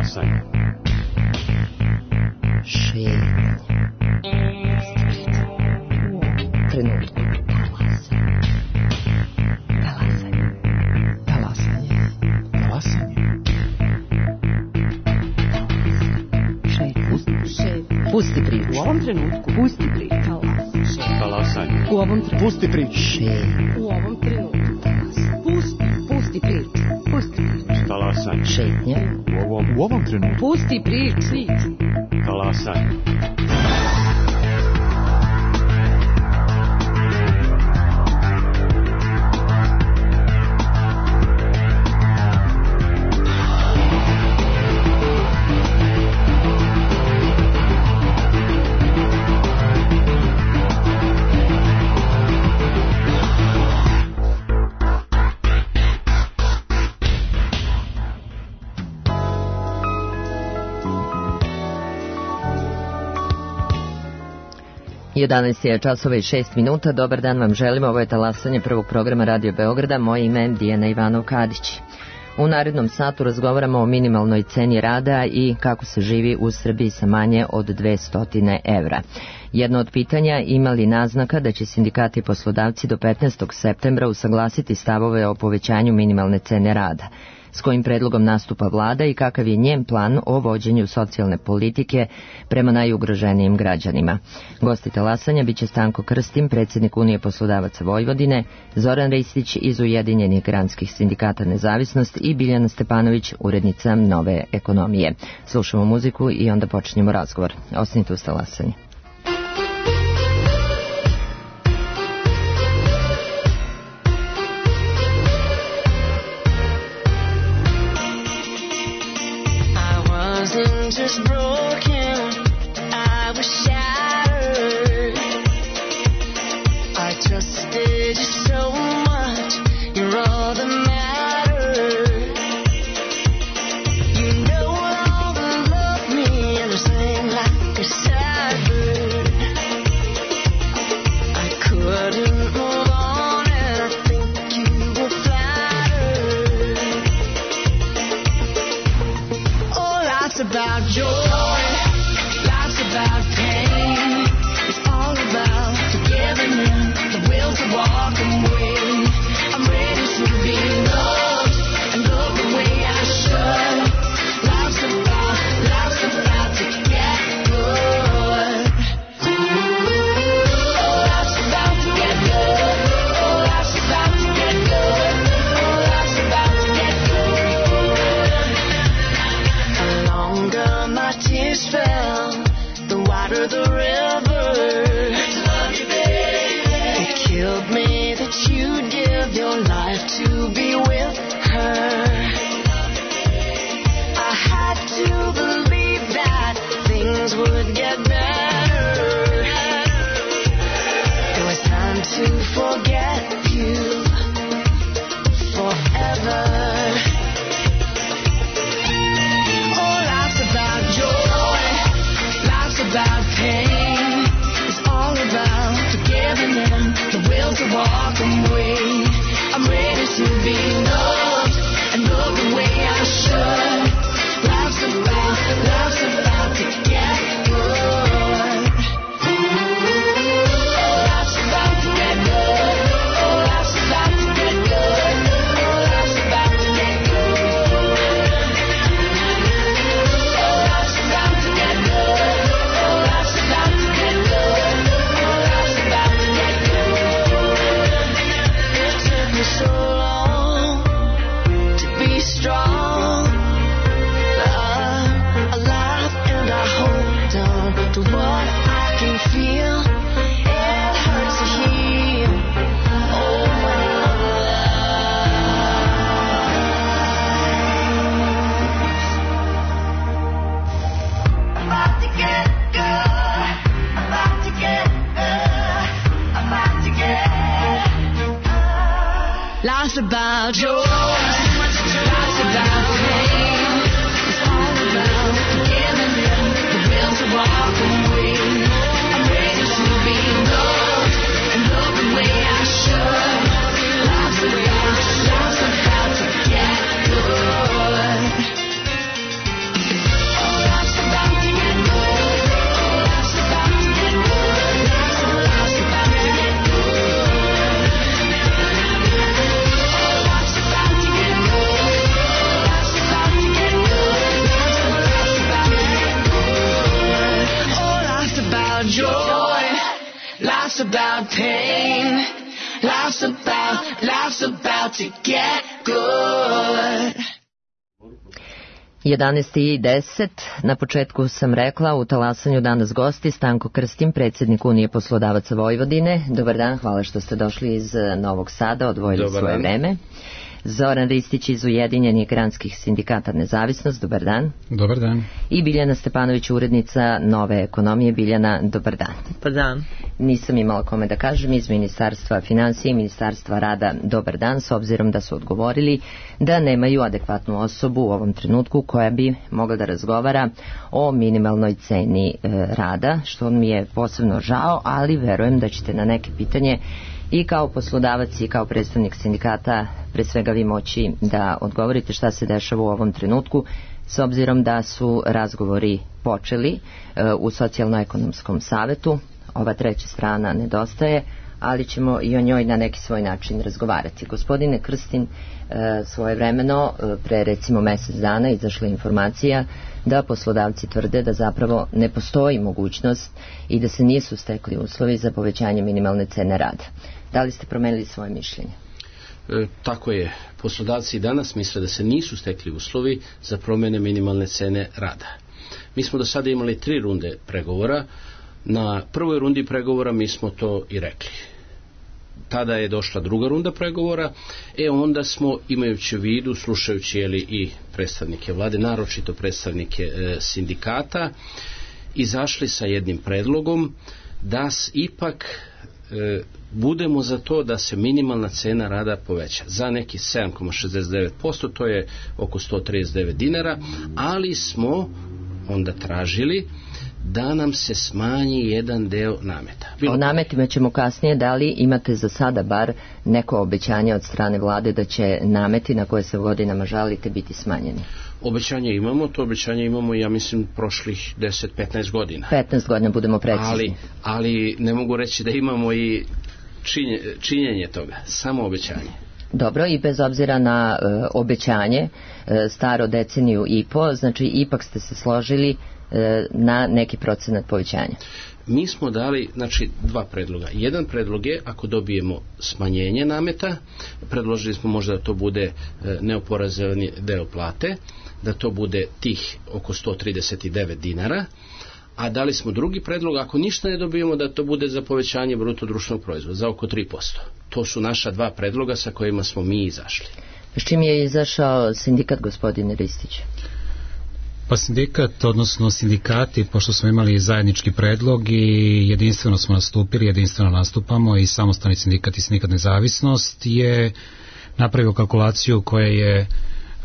Talasanje. Šetnja. Trenutku. Pusti priču. U ovom trenutku. Pusti priču. Talasanje. U ovom trenutku. Pusti priču. U ovom trenutku. Pusti priču. Pusti priču. Talasanje. Šetnja. U ovom trenutku. Pusti priču. Talasanje. Je časova i 6 minuta. Dobar dan vam želimo. Ovo je talasanje prvog programa Radio Beograda. Moje ime je Dijana Ivanov-Kadić. U narednom satu razgovaramo o minimalnoj ceni rada i kako se živi u Srbiji sa manje od 200 evra. Jedno od pitanja, ima li naznaka da će sindikati i poslodavci do 15. septembra usaglasiti stavove o povećanju minimalne cene rada? S kojim predlogom nastupa vlada i kakav je njen plan o vođenju socijalne politike prema najugroženijim građanima? Gosti talasanja biće Stanko Krstim, predsjednik Unije poslodavaca Vojvodine, Zoran Ristić iz Ujedinjenih granskih sindikata Nezavisnost i Biljana Stepanović, urednica Nove ekonomije. Slušamo muziku i onda počinjemo razgovor. Ostanite uz talasanje. Just broken, I was shattered. I trusted you so much, you're all that mattered. You no longer love me, and I sang like a sad bird. I couldn't move on, and I think you were flattered. Oh, life's about joy, life's about pain. It's all about forgiving and the will to walk away. I'm ready to be loved and love the way I should. Life's about to get good. Oh, life's about to get good. Oh, life's about to get good. Oh, life's about to get good. The longer my tears fell, the wider the river. Love you, baby. It killed me that you'd give your life to be with her. I had to believe that things would get better. It was time to forget you forever. About pain, it's all about forgiving and the will to walk away. I'm ready to be loved and love the way I should. Life's about to get good. Oh, life's about to get good. Oh, life's about to get good. Oh, life's about to get good. Oh, life's about to get good. So long to be strong, alive, and I hold on to what I can feel. It hurts to heal. Oh, my life. About to get good. About to get good. About to get. Life's about joy, life's about pain. It's all about forgiving and the will to walk away. I'm ready to be loved and love the way I should. Life's about to get good. life's about to get good. 11:10. Na početku sam rekla u talasanju danas gosti Stanko Krstin, predsjednik Unije poslodavaca Vojvodine. Dobar dan, hvala što ste došli iz Novog Sada, odvojili svoje vreme. Zoran Ristić iz Ujedinjenih granskih sindikata Nezavisnost, dobar dan. Dobar dan. I Biljana Stepanović, urednica Nove ekonomije. Biljana, dobar dan. Dobar dan. Nisam imala kome da kažem iz Ministarstva financije i Ministarstva rada dobar dan, s obzirom da su odgovorili da nemaju adekvatnu osobu u ovom trenutku koja bi mogla da razgovara o minimalnoj ceni rada, što mi je posebno žao, ali verujem da ćete na neke pitanje i kao poslodavac i kao predstavnik sindikata pre svega vi moći da odgovorite šta se dešava u ovom trenutku, s obzirom da su razgovori počeli u socijalno-ekonomskom savetu. Ova treća strana nedostaje, ali ćemo i o njoj na neki svoj način razgovarati. Gospodine Krstin, svojevremeno, pre recimo mjesec dana izašla informacija da poslodavci tvrde da zapravo ne postoji mogućnost i da se nisu stekli uslovi za povećanje minimalne cene rada. Da li ste promenili svoje mišljenje? Tako je. Poslodavci danas misle da se nisu stekli uslovi za promjene minimalne cene rada. Mi smo do sada imali 3 runde pregovora. Na prvoj rundi pregovora mi smo to i rekli. Tada je došla druga runda pregovora, onda smo, imajući u vidu, slušajući i predstavnike vlade, naročito predstavnike sindikata, izašli sa jednim predlogom da ipak budemo za to da se minimalna cena rada poveća za neki 7,69%, to je oko 139 dinara, ali smo onda tražili da nam se smanji jedan deo nameta. O nametima ćemo kasnije. Da li imate za sada bar neko obećanje od strane vlade da će nameti na koje se godinama žalite biti smanjeni? Obećanje imamo, to obećanje imamo, ja mislim, prošlih 10-15 godina. 15 godina, budemo precizni. Ali ne mogu reći da imamo i činjenje toga, samo obećanje. Dobro, i bez obzira na obećanje, staro deceniju i po, znači ipak ste se složili na neki procenat povećanja. Mi smo dali, znači, 2 predloga. Jedan predlog je, ako dobijemo smanjenje nameta, predložili smo možda da to bude neoporezovani deo plate, da to bude tih oko 139 dinara, a dali smo drugi predlog, ako ništa ne dobijemo, da to bude za povećanje bruto društvenog proizvoda, za oko 3%. To su naša 2 predloga sa kojima smo mi izašli. S čim je izašao sindikat, gospodine Ristić? Pa sindikat, odnosno sindikati, pošto smo imali zajednički predlog i jedinstveno smo nastupili, jedinstveno nastupamo, i samostalni sindikat i sindikat Nezavisnost je napravio kalkulaciju koja je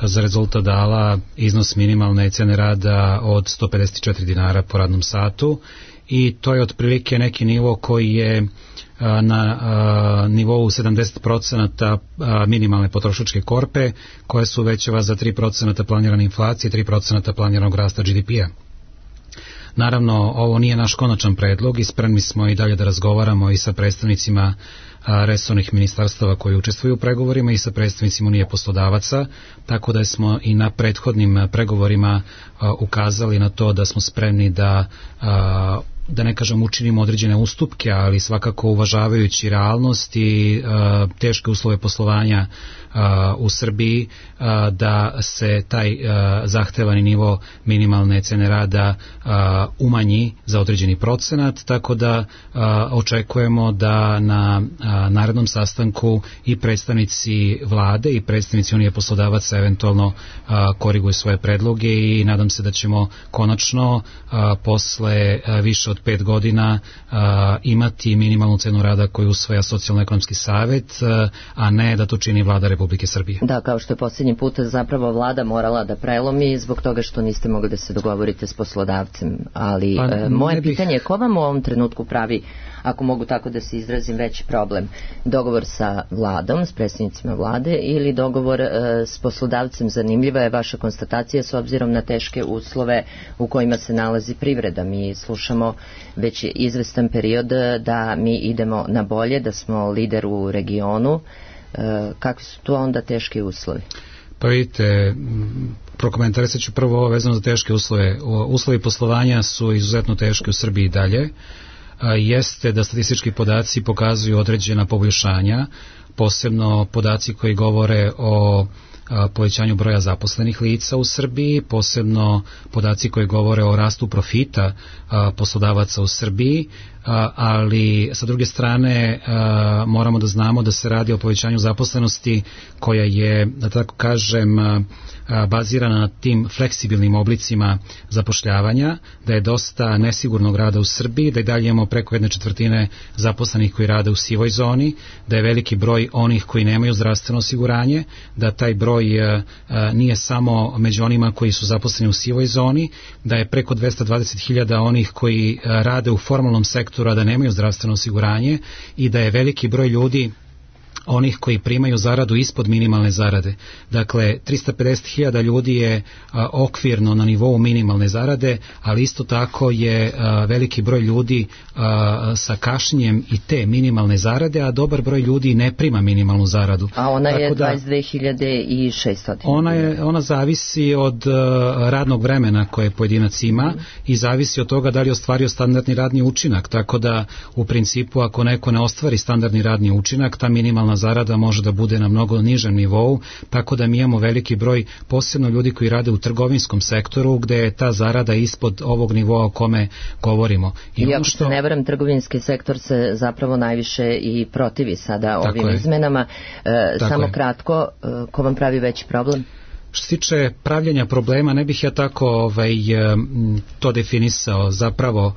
za rezultat dala iznos minimalne cene rada od 154 dinara po radnom satu, i to je otprilike neki nivo koji je na nivou 70% minimalne potrošačke korpe, koja se uvećava za 3% planirane inflacije, 3% planiranog rasta GDP-a. Naravno, ovo nije naš konačan predlog i spremni smo i dalje da razgovaramo i sa predstavnicima resornih ministarstava koji učestvuju u pregovorima i sa predstavnicima Unije poslodavaca, tako da smo i na prethodnim pregovorima ukazali na to da smo spremni da ne kažem učinimo određene ustupke, ali svakako uvažavajući realnost i teške uslove poslovanja u Srbiji, da se taj zahtevani nivo minimalne cene rada umanji za određeni procenat, tako da očekujemo da na narednom sastanku i predstavnici vlade i predstavnici Unije poslodavaca eventualno koriguju svoje predloge, i nadam se da ćemo konačno posle više od 5 godina imati minimalnu cenu rada koju usvaja Socijalno-ekonomski savet, a ne da to čini vlada Republike Srbije. Da, kao što je posljednji put zapravo vlada morala da prelomi zbog toga što niste mogli da se dogovorite s poslodavcem, ali moje pitanje je ko vam u ovom trenutku pravi, ako mogu tako da se izrazim, veći problem? Dogovor sa vladom, s predstavnicima vlade, ili dogovor s poslodavcem? Zanimljiva je vaša konstatacija s obzirom na teške uslove u kojima se nalazi privreda. Mi slušamo već izvestan period da mi idemo na bolje, da smo lider u regionu. Kakvi su tu onda teški uslovi? Pa vidite, prokomentarisat ću prvo ovo vezano za teške uslove. Uslovi poslovanja su izuzetno teški u Srbiji dalje. jeste da statistički podaci pokazuju određena poboljšanja, posebno podaci koji govore o povećanju broja zaposlenih lica u Srbiji, posebno podaci koji govore o rastu profita poslodavaca u Srbiji, ali sa druge strane moramo da znamo da se radi o povećanju zaposlenosti koja je, da tako kažem, bazirana na tim fleksibilnim oblicima zapošljavanja, da je dosta nesigurnog rada u Srbiji, da i dalje imamo preko 1/4 zaposlenih koji rade u sivoj zoni, da je veliki broj onih koji nemaju zdravstveno osiguranje, da taj broj nije samo među onima koji su zaposleni u sivoj zoni, da je preko 220.000 onih koji rade u formalnom sektoru, a da nemaju zdravstveno osiguranje, i da je veliki broj ljudi onih koji primaju zaradu ispod minimalne zarade. Dakle, 350.000 ljudi je okvirno na nivou minimalne zarade, ali isto tako je veliki broj ljudi sa kašnjenjem i te minimalne zarade, a dobar broj ljudi ne prima minimalnu zaradu. A ona je 22.600. Ona zavisi od radnog vremena koje pojedinac ima i zavisi od toga da li je ostvario standardni radni učinak, tako da u principu ako neko ne ostvari standardni radni učinak, ta minimalna zarada može da bude na mnogo nižem nivou, tako da mi imamo veliki broj posebno ljudi koji rade u trgovinskom sektoru gde je ta zarada ispod ovog nivoa o kome govorimo. I ako se ne varam, trgovinski sektor se zapravo najviše i protivi sada ovim izmenama. Samo kratko, ko vam pravi veći problem? Što se tiče pravljenja problema, ne bih ja tako to definisao. Zapravo,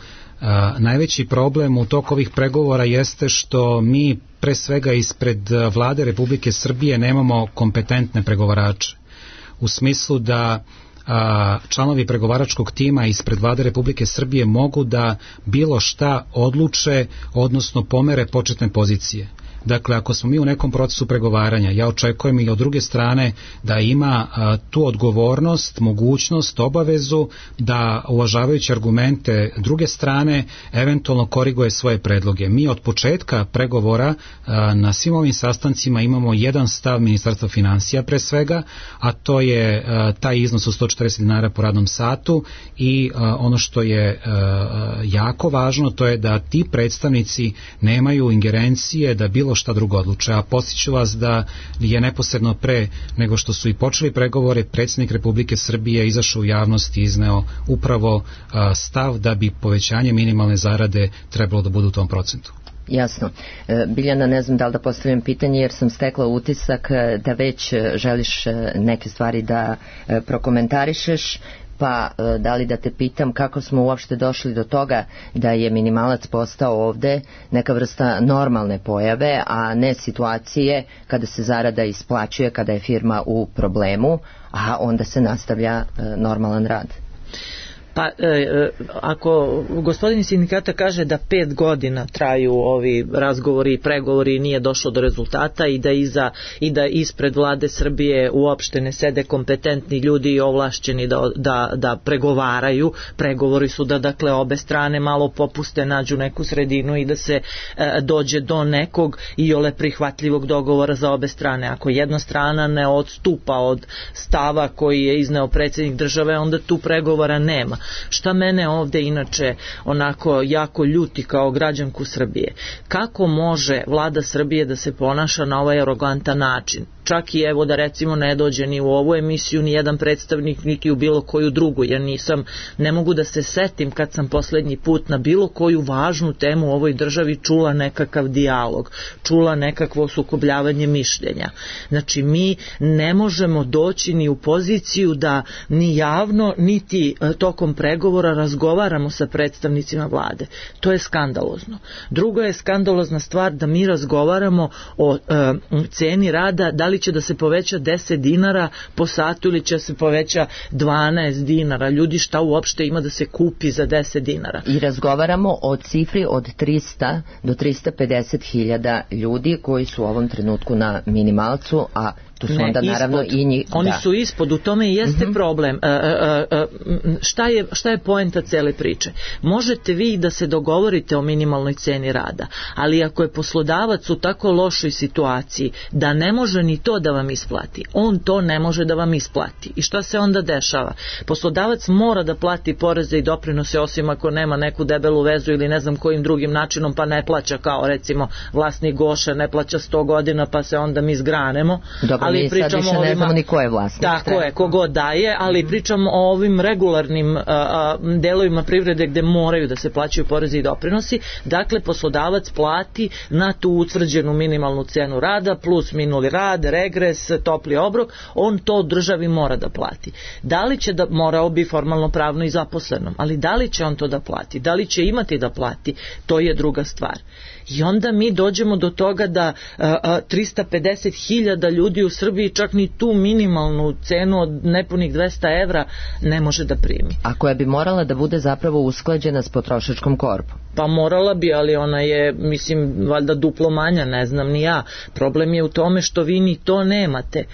najveći problem u toku ovih pregovora jeste što mi pre svega ispred Vlade Republike Srbije nemamo kompetentne pregovarače. U smislu da članovi pregovaračkog tima ispred Vlade Republike Srbije mogu da bilo šta odluče, odnosno pomere početne pozicije. Dakle, ako smo mi u nekom procesu pregovaranja, ja očekujem i od druge strane da ima tu odgovornost, mogućnost, obavezu da, uvažavajući argumente druge strane, eventualno koriguje svoje predloge. Mi od početka pregovora na svim ovim sastancima imamo jedan stav Ministarstva finansija pre svega, a to je taj iznos od 140 dinara po radnom satu, i ono što je jako važno, to je da ti predstavnici nemaju ingerencije da bilo šta drugo odluče. A podsjeću vas da je neposredno pre nego što su i počeli pregovore, predsjednik Republike Srbije izašao u javnost i izneo upravo stav da bi povećanje minimalne zarade trebalo da bude u tom procentu. Jasno. Biljana, ne znam da li da postavljam pitanje, jer sam stekla utisak da već želiš neke stvari da prokomentarišeš. Pa da li da te pitam kako smo uopšte došli do toga da je minimalac postao ovde neka vrsta normalne pojave, a ne situacije kada se zarada isplaćuje, kada je firma u problemu, a onda se nastavlja normalan rad. Pa ako gospodin iz sindikata kaže da 5 godina traju ovi razgovori i pregovori i nije došlo do rezultata i da ispred Vlade Srbije uopšte ne sede kompetentni ljudi i ovlašćeni da pregovaraju, pregovori su da dakle obe strane malo popuste, nađu neku sredinu i da se dođe do nekog iole prihvatljivog dogovora za obe strane. Ako jedna strana ne odstupa od stava koji je izneo predsjednik države, onda tu pregovora nema. Šta mene ovde inače onako jako ljuti kao građanku Srbije, kako može Vlada Srbije da se ponaša na ovaj arogantan način? Čak i evo da recimo ne dođe ni u ovu emisiju ni jedan predstavnik niti u bilo koju drugu. Ja ne mogu da se setim kad sam poslednji put na bilo koju važnu temu u ovoj državi čula nekakav dijalog, čula nekakvo sukobljavanje mišljenja. Znači mi ne možemo doći ni u poziciju da ni javno niti tokom pregovora razgovaramo sa predstavnicima vlade. To je skandalozno. Drugo je skandalozna stvar da mi razgovaramo o ceni rada, da li će da se poveća 10 dinara po satu ili će se poveća 12 dinara. Ljudi, šta uopšte ima da se kupi za 10 dinara? I razgovaramo o cifri od 300 do 350 hiljada ljudi koji su u ovom trenutku na minimalcu, a To su onda naravno ispod. i njih. Oni su ispod, u tome i jeste problem. Šta je poenta cele priče? Možete vi da se dogovorite o minimalnoj ceni rada, ali ako je poslodavac u tako lošoj situaciji da ne može ni to da vam isplati, on to ne može da vam isplati. I šta se onda dešava? Poslodavac mora da plati poreze i doprinose, osim ako nema neku debelu vezu ili ne znam kojim drugim načinom, pa ne plaća, kao recimo vlasnik Goša ne plaća 100 godina pa se onda mi zgranemo. Dobro, ali mi sad više ne znamo ni ko je vlasnik. Tako je, kogo daje, ali pričamo o ovim regularnim delovima privrede gde moraju da se plaćaju porezi i doprinosi. Dakle, poslodavac plati na tu utvrđenu minimalnu cenu rada plus minuli rad, regres, topli obrok, on to državi mora da plati. Da li će da, morao bi formalno pravno i zaposlenom, ali da li će on to da plati, da li će imati da plati, to je druga stvar. I onda mi dođemo do toga da 350.000 ljudi u Srbiji čak ni tu minimalnu cenu od nepunih 200 evra ne može da primi. A koja bi morala da bude zapravo usklađena s potrošačkom korpom. Pa morala bi, ali ona je, mislim, valjda duplo manja, ne znam ni ja. Problem je u tome što vi ni to nemate.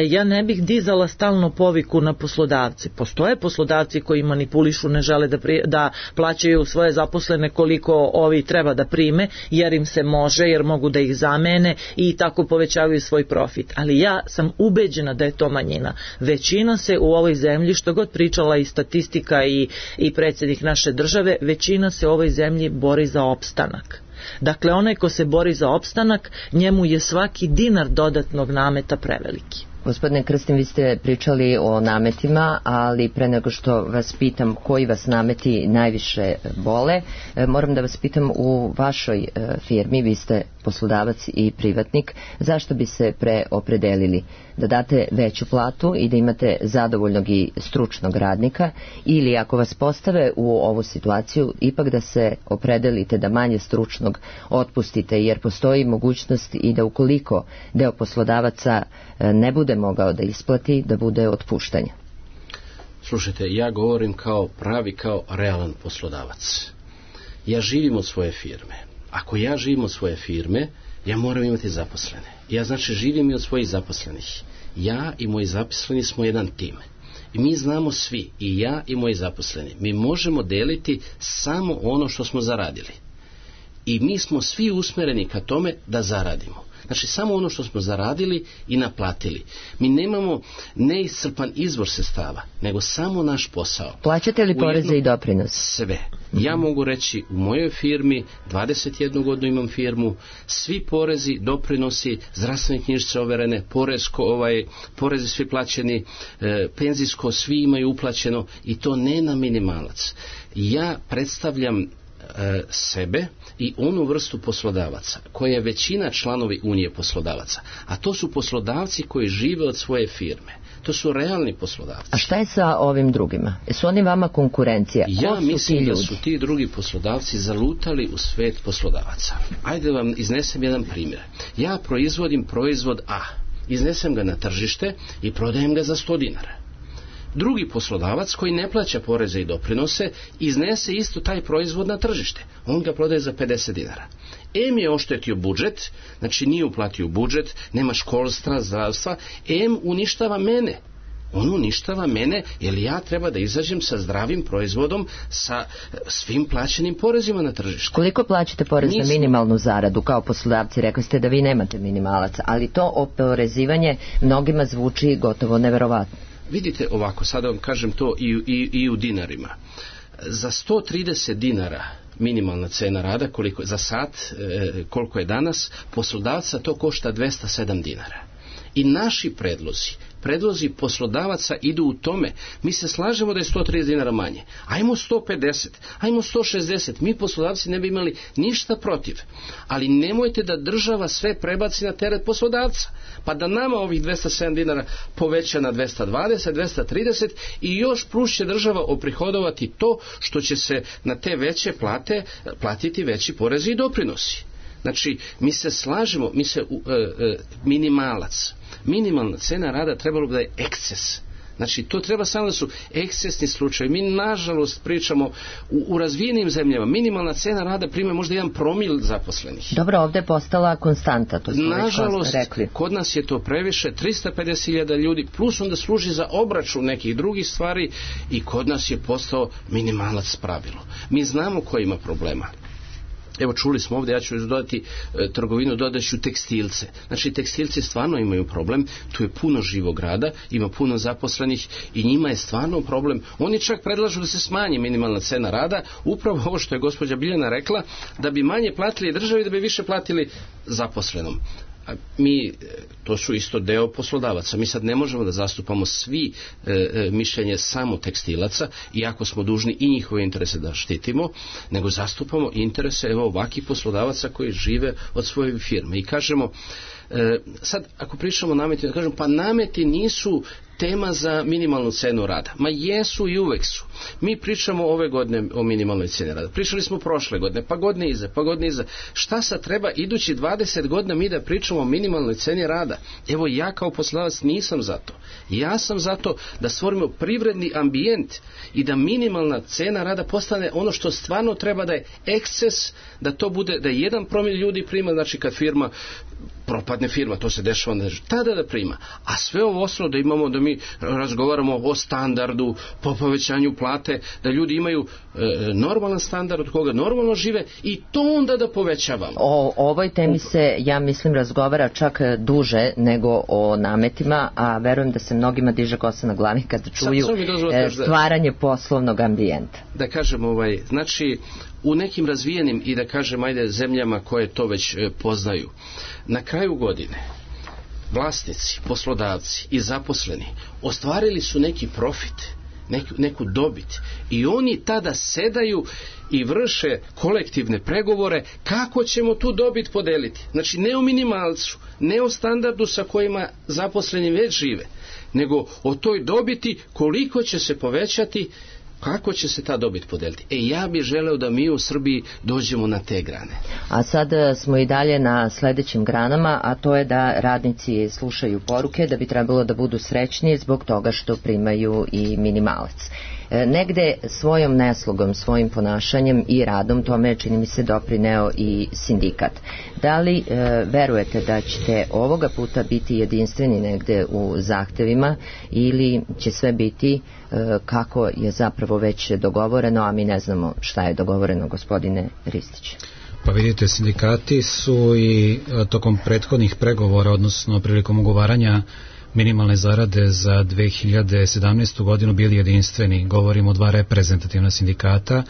Ja ne bih dizala stalno poviku na poslodavce. Postoje poslodavci koji manipulišu, ne žele da plaćaju svoje zaposlene koliko ovi treba da prime, jer im se može, jer mogu da ih zamene i tako povećavaju svoj profit. Ali ja sam ubeđena da je to manjina. Većina se u ovoj zemlji, što god pričala i statistika i predsjednik naše države, većina se u ovoj zemlji bori za opstanak. Dakle, onaj ko se bori za opstanak, njemu je svaki dinar dodatnog nameta preveliki. Gospodine Krstin, vi ste pričali o nametima, ali pre nego što vas pitam koji vas nameti najviše bole, moram da vas pitam, u vašoj firmi, vi ste poslodavac i privatnik, zašto bi se preopredelili? Da date veću platu i da imate zadovoljnog i stručnog radnika, ili ako vas postave u ovu situaciju, ipak da se opredelite da manje stručnog otpustite, jer postoji mogućnost i da ukoliko deo poslodavaca ne bude mogao da isplati, da bude otpuštanje. Slušajte, ja govorim kao realan poslodavac. Ja živim od svoje firme. Ako ja živim od svoje firme, ja moram imati zaposlene. Ja znači živim i od svojih zaposlenih. Ja i moji zaposleni smo jedan tim. I mi znamo svi, i ja i moji zaposleni, mi možemo deliti samo ono što smo zaradili. I mi smo svi usmereni ka tome da zaradimo. Znači, samo ono što smo zaradili i naplatili. Mi nemamo neiscrpan izvor sredstava, nego samo naš posao. Plaćate li poreze i doprinose? Sve. Ja mogu reći, u mojoj firmi, 21 godinu imam firmu, svi porezi, doprinosi, zdravstvene knjižice overene, porezi svi plaćeni, penzijsko svi imaju uplaćeno, i to ne na minimalac. Ja predstavljam sebe i onu vrstu poslodavaca koja je većina članovi Unije poslodavaca, a to su poslodavci koji žive od svoje firme. To su realni poslodavci. A šta je sa ovim drugima? Su oni vama konkurencija? Ja mislim da su ti drugi poslodavci zalutali u svet poslodavaca. Ajde vam iznesem jedan primjer. Ja proizvodim proizvod A, iznesem ga na tržište i prodajem ga za 100 dinara. Drugi poslodavac koji ne plaća poreze i doprinose iznese isto taj proizvod na tržište. On ga prodaje za 50 dinara. M je oštetio budžet, znači nije uplatio budžet, nema školstva, zdravstva. M uništava mene. On uništava mene, jer ja treba da izađem sa zdravim proizvodom, sa svim plaćenim porezima na tržištu. Koliko plaćate porez na minimalnu zaradu kao poslodavci? Rekli ste da vi nemate minimalac, ali to oporezivanje mnogima zvuči gotovo neverovatno. Vidite ovako, sada vam kažem to i u dinarima. Za 130 dinara minimalna cena rada, za sat, koliko je danas, poslodavca to košta 207 dinara. I naši predlozi poslodavaca idu u tome. Mi se slažemo da je 130 dinara manje. Ajmo 150, ajmo 160. Mi poslodavci ne bi imali ništa protiv. Ali nemojte da država sve prebaci na teret poslodavca. Pa da nama ovih 207 dinara poveća na 220, 230 i još plus će država oprihodovati to što će se na te veće plate platiti veći porezi i doprinosi. Znači, mi se slažemo, minimalna cena rada trebalo bi da je eksces Znači, to treba samo da su ekscesni slučajevi. Mi, nažalost, pričamo u razvijenim zemljama. Minimalna cena rada prima možda 1 promil zaposlenih. Dobro, ovde je postala konstanta, to smo nažalost, već rekli. Kod nas je to previše, 350.000 ljudi, plus onda služi za obračun nekih drugih stvari i kod nas je postao minimalac pravilo. Mi znamo ko ima problema. Evo, čuli smo ovdje, ja ću dodati trgovinu, dodaću tekstilce. Znači, tekstilci stvarno imaju problem, tu je puno živog rada, ima puno zaposlenih i njima je stvarno problem. Oni čak predlažu da se smanji minimalna cena rada, upravo ovo što je gospođa Biljana rekla, da bi manje platili državi, da bi više platili zaposlenom. Mi, to su isto deo poslodavaca, mi sad ne možemo da zastupamo svi mišljenje samo tekstilaca, iako smo dužni i njihove interese da štitimo, nego zastupamo interese ovakvih poslodavaca koji žive od svoje firme i kažemo, sad ako pričamo o nametima, kažemo pa nameti nisu tema za minimalnu cenu rada. Ma jesu i uvek su. Mi pričamo ove godine o minimalnoj ceni rada. Pričali smo prošle godine, pa godine iza. Šta sad treba idući 20 godina mi da pričamo o minimalnoj ceni rada? Evo, ja kao poslodavac nisam za to. Ja sam za to da stvorimo privredni ambijent i da minimalna cena rada postane ono što stvarno treba, da je eksces, da to bude, da 1 promil ljudi prima, znači kad firma propadne firma, to se dešava, tada da prima. A sve ovo ostalo da imamo, da mi razgovaramo o standardu, po povećanju plate, da ljudi imaju normalan standard od koga normalno žive i to onda da povećavamo. O ovoj temi se, ja mislim, razgovara čak duže nego o nametima, a verujem da se mnogima diže kosa na glavi kada čuju stvaranje poslovnog ambijenta. Da kažem, znači, u nekim razvijenim i da kažem, zemljama koje to već poznaju, na kraju godine vlasnici, poslodavci i zaposleni ostvarili su neki profit, neku dobit i oni tada sedaju i vrše kolektivne pregovore kako ćemo tu dobit podeliti. Znači, ne o minimalcu, ne o standardu sa kojima zaposleni već žive, nego o toj dobiti, koliko će se povećati, kako će se ta dobit podeliti. Ja bih želeo da mi u Srbiji dođemo na te grane. A sad smo i dalje na sledećim granama, a to je da radnici slušaju poruke da bi trebalo da budu srećniji zbog toga što primaju i minimalac. Negde svojom neslugom, svojim ponašanjem i radom tome, čini mi se, doprineo i sindikat. Da li verujete da ćete ovoga puta biti jedinstveni negde u zahtevima ili će sve biti kako je zapravo već dogovoreno, a mi ne znamo šta je dogovoreno, gospodine Ristić? Pa vidite, sindikati su i tokom prethodnih pregovora, odnosno prilikom ugovaranja minimalne zarade za 2017. godinu bili jedinstveni. Govorimo o 2 reprezentativna sindikata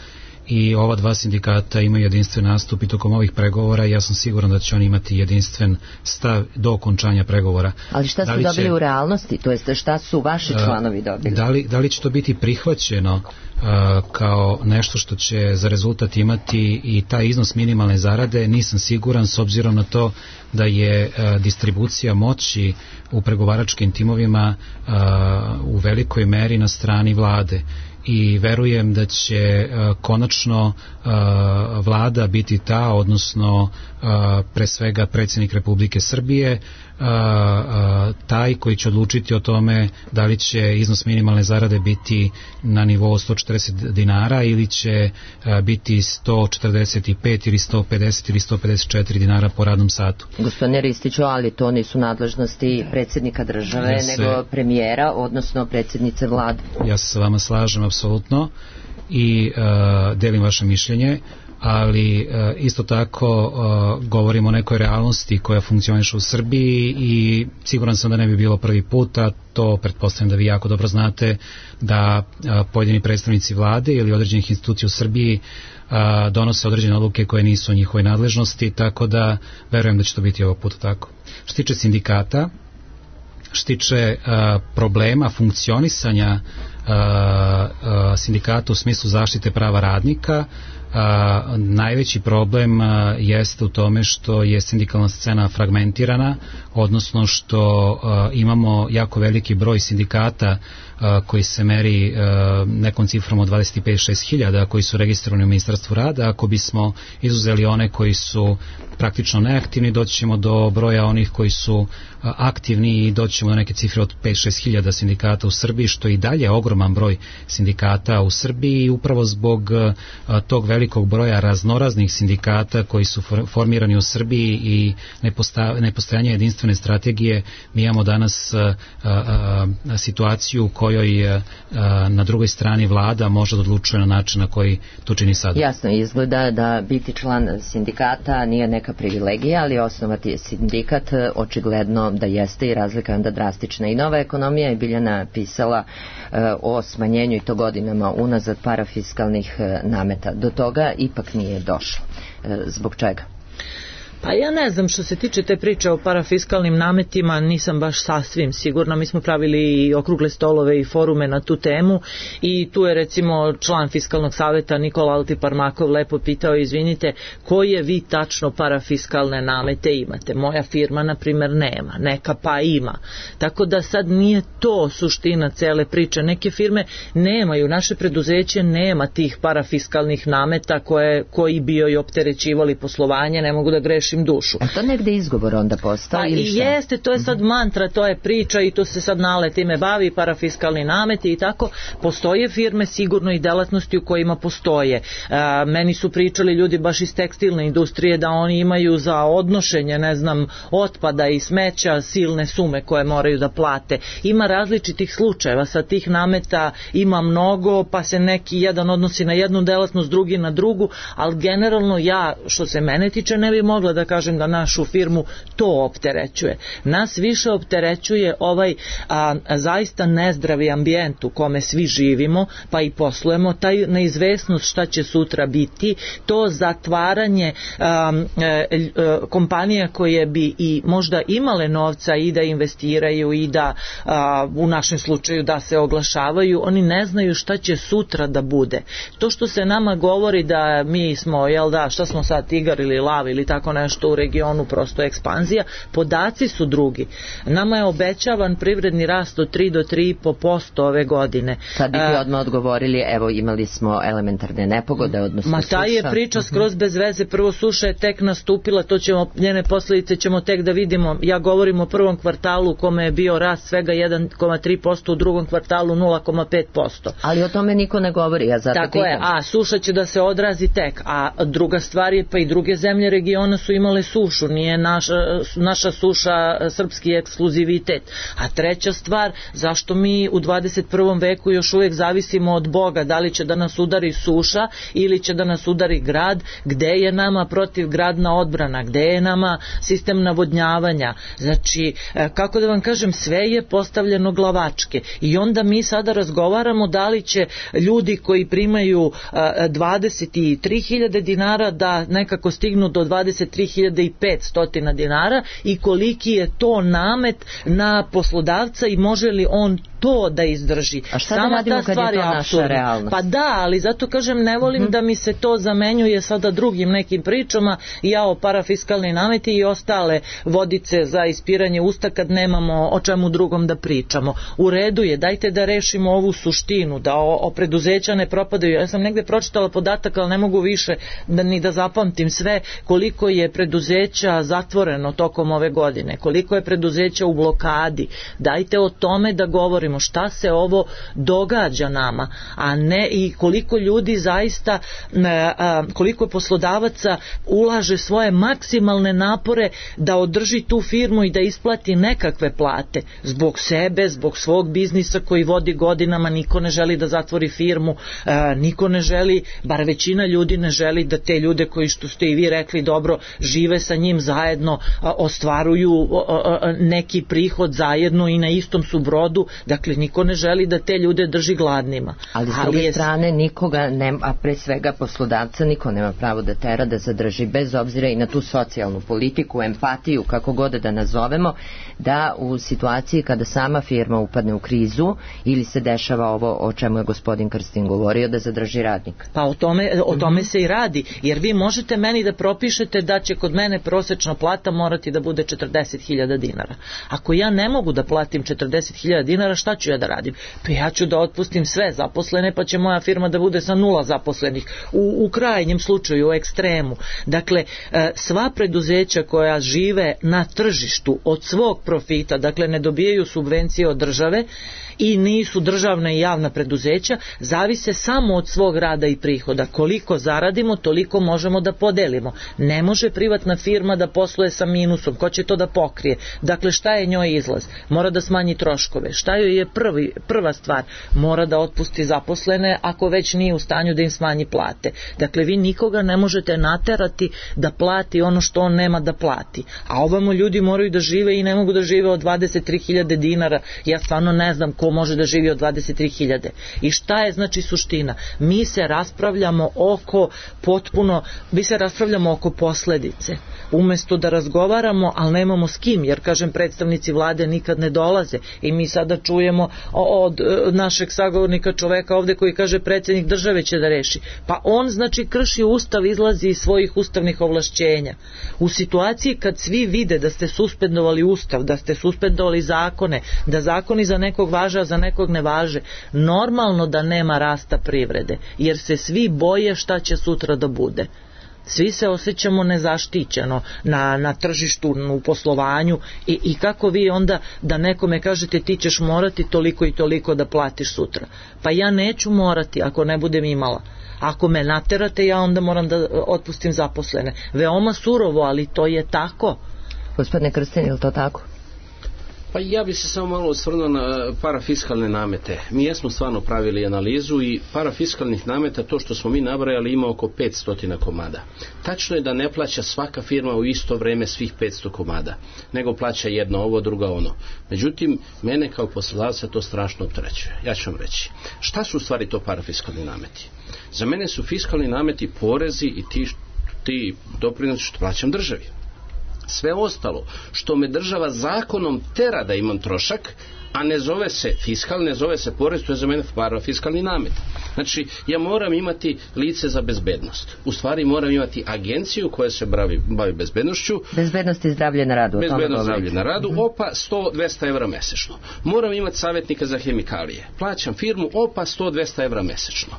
i ova 2 sindikata imaju jedinstven nastup i tokom ovih pregovora i ja sam siguran da će oni imati jedinstven stav do okončanja pregovora. Ali šta su dobili u realnosti? To jest šta su vaši članovi dobili? Da li će to biti prihvaćeno kao nešto što će za rezultat imati i taj iznos minimalne zarade? Nisam siguran, s obzirom na to da je distribucija moći u pregovaračkim timovima u velikoj meri na strani vlade. I verujem da će konačno vlada biti ta, odnosno pre svega predsjednik Republike Srbije, taj koji će odlučiti o tome da li će iznos minimalne zarade biti na nivou 140 dinara ili će biti 145 ili 150 ili 154 dinara po radnom satu. Gospodine Ristiću, ali to nisu nadležnosti predsjednika države, nego premijera, odnosno predsjednice vlade. Ja se sa vama slažem apsolutno i delim vaše mišljenje, ali isto tako govorimo o nekoj realnosti koja funkcioniše u Srbiji i siguran sam da ne bi bilo prvi put, a to pretpostavljam da vi jako dobro znate, da pojedini predstavnici vlade ili određenih institucija u Srbiji donose određene odluke koje nisu u njihovoj nadležnosti, tako da verujem da će to biti ovog puta tako. Što tiče sindikata, što tiče problema funkcionisanja sindikata u smislu zaštite prava radnika, najveći problem jeste u tome što je sindikalna scena fragmentirana, odnosno što imamo jako veliki broj sindikata koji se meri nekom cifrom od 25-6 hiljada koji su registrovani u Ministarstvu rada. Ako bismo izuzeli one koji su praktično neaktivni, doći ćemo do broja onih koji su aktivni i doći ćemo do neke cifre od 5-6 hiljada sindikata u Srbiji, što je i dalje ogroman broj sindikata u Srbiji, i upravo zbog tog velikog broja raznoraznih sindikata koji su formirani u Srbiji i nepostojanja jedinstvene strategije, mi imamo danas situaciju u kojoj na drugoj strani vlada može da odlučuje na način na koji to čini sada. Jasno izgleda da biti član sindikata nije neka privilegija, ali osnovati sindikat očigledno da jeste, i razlika je onda drastična. I Nova ekonomija je Biljana pisala o smanjenju, i to godinama unazad, parafiskalnih nameta. Do toga ipak nije došlo. Zbog čega? Pa ja ne znam, što se tiče te priče o parafiskalnim nametima, nisam baš sasvim sigurna. Mi smo pravili i okrugle stolove i forume na tu temu, i tu je recimo član Fiskalnog saveta Nikola Altiparmakov lepo pitao: izvinite, koje vi tačno parafiskalne namete imate? Moja firma na primjer nema, neka pa ima. Tako da sad nije to suština cele priče. Neke firme nemaju, naše preduzeće nema tih parafiskalnih nameta koji bi joj opterećivali poslovanje, ne mogu da grešim dušu. A to negde izgovor onda postao? Pa i jeste, to je sad mantra, to je priča, i to se sad nale time bavi, parafiskalni nameti i tako. Postoje firme sigurno i delatnosti u kojima postoje. Meni su pričali ljudi baš iz tekstilne industrije da oni imaju za odnošenje, ne znam, otpada i smeća silne sume koje moraju da plate. Ima različitih slučajeva, sa tih nameta ima mnogo, pa se neki jedan odnosi na jednu delatnost, drugi na drugu, ali generalno ja, što se mene tiče, ne bi mogla da kažem da našu firmu to opterećuje. Nas više opterećuje ovaj zaista nezdravi ambijent u kome svi živimo, pa i poslujemo, taj neizvesnost šta će sutra biti, to zatvaranje kompanija koje bi i možda imale novca i da investiraju i da u našem slučaju da se oglašavaju, oni ne znaju šta će sutra da bude. To što se nama govori da mi smo, jel da, šta smo sad, tigar ili lav ili tako nešto u regionu, prosto ekspanzija, podaci su drugi. Nama je obećavan privredni rast od 3 do 3,5% ove godine. Sad bih odmah odgovorili, evo imali smo elementarne nepogode, odnosno suša. Ta je priča skroz bez veze, prvo suša je tek nastupila, to ćemo, njene posljedice ćemo tek da vidimo. Ja govorim o prvom kvartalu u kome je bio rast svega 1,3%, u drugom kvartalu 0,5%. Ali o tome niko ne govori, ja zato tako je, a suša će da se odrazi tek, a druga stvar je, pa i druge zemlje regiona su imale sušu, nije naša suša srpski ekskluzivitet. A treća stvar, zašto mi u 21. veku još uvijek zavisimo od Boga, da li će da nas udari suša ili će da nas udari grad, gde je nama protivgradna odbrana, gde je nama sistem navodnjavanja. Znači, kako da vam kažem, sve je postavljeno glavačke, i onda mi sada razgovaramo da li će ljudi koji primaju 23.000 dinara da nekako stignu do 23.500 dinara, i koliki je to namet na poslodavca i može li on to da izdrži. A šta da radimo kad je to naša realnost? Pa da, ali zato kažem, ne volim da mi se to zamenjuje sada drugim nekim pričama, o parafiskalni nameti i ostale vodice za ispiranje usta kad nemamo o čemu drugom da pričamo. U redu je, dajte da rešimo ovu suštinu, da o preduzeća ne propadaju. Ja sam negde pročitala podatak, ali ne mogu više ni da zapamtim sve, koliko je preduzeća zatvoreno tokom ove godine, koliko je preduzeća u blokadi. Dajte o tome da govorimo šta se ovo događa nama, a ne i koliko ljudi zaista, koliko poslodavaca ulaže svoje maksimalne napore da održi tu firmu i da isplati nekakve plate zbog sebe, zbog svog biznisa koji vodi godinama. Niko ne želi da zatvori firmu, niko ne želi, bar većina ljudi ne želi da te ljude koji, što ste i vi rekli dobro, žive sa njim zajedno, ostvaruju neki prihod zajedno i na istom su brodu, dakle niko ne želi da te ljude drži gladnima. Ali s druge strane nikoga, a pre svega poslodavca, niko nema pravo da tera da zadrži, bez obzira i na tu socijalnu politiku, empatiju, kako god da nazovemo, da u situaciji kada sama firma upadne u krizu ili se dešava ovo o čemu je gospodin Krstin govorio, da zadrži radnika. Pa o tome se i radi, jer vi možete meni da propišete da će kod mene prosečna plata morati da bude 40.000 dinara. Ako ja ne mogu da platim 40.000 dinara, šta ću ja da radim? Pa ja ću da otpustim sve zaposlene, pa će moja firma da bude sa 0 zaposlenih. U krajnjem slučaju, u ekstremu. Dakle, sva preduzeća koja žive na tržištu od svog profita, dakle ne dobijaju subvencije od države i nisu državna i javna preduzeća, zavise samo od svog rada i prihoda. Koliko zaradimo, toliko možemo da podelimo. Ne može privatna firma da posluje sa minusom. Ko će to da pokrije? Dakle, šta je njoj izlaz? Mora da smanji troškove. Šta joj je prva stvar? Mora da otpusti zaposlene ako već nije u stanju da im smanji plate. Dakle, vi nikoga ne možete naterati da plati ono što on nema da plati. A ovamo ljudi moraju da žive i ne mogu da žive od 23.000 dinara. Ja stvarno ne znam ko može da živi od 23.000. I šta je znači suština? Mi se raspravljamo oko posledice. Umesto da razgovaramo, ali nemamo s kim, jer kažem predstavnici vlade nikad ne dolaze i mi sada čujemo od našeg sagovornika čoveka ovde koji kaže predsjednik države će da reši. Pa on znači krši ustav, izlazi iz svojih ustavnih ovlašćenja. U situaciji kad svi vide da ste suspendovali ustav, da ste suspendovali zakone, da zakoni za nekog važe, a za nekog ne važe, normalno da nema rasta privrede, jer se svi boje šta će sutra da bude. Svi se osjećamo nezaštićeno na tržištu, u poslovanju i kako vi onda da nekome kažete ti ćeš morati toliko i toliko da platiš sutra. Pa ja neću morati ako ne budem imala. Ako me naterate, ja onda moram da otpustim zaposlene. Veoma surovo, ali to je tako. Gospodine Krstin, je li to tako? Pa ja bi se samo malo osvrnuo na parafiskalne namete. Mi jesmo stvarno pravili analizu i parafiskalnih nameta, to što smo mi nabrajali, ima oko 500 komada. Tačno je da ne plaća svaka firma u isto vreme svih 500 komada, nego plaća jedno ovo, druga ono. Međutim, mene kao poslodavca to strašno opterećuje. Ja ću vam reći. Šta su u stvari to parafiskalni nameti? Za mene su fiskalni nameti porezi i ti doprinosi što plaćam državi. Sve ostalo što me država zakonom tera da imam trošak, a ne zove se fiskal, ne zove se porez, to je za mene parafiskalni namet. Znači, ja moram imati lice za bezbednost. U stvari moram imati agenciju koja se bavi bezbednošću. Bezbednost i zdravlje na radu. Bezbednost i zdravlje na radu, opa 100-200 evra mesečno. Moram imati savjetnika za hemikalije. Plaćam firmu, opa 100-200 evra mesečno.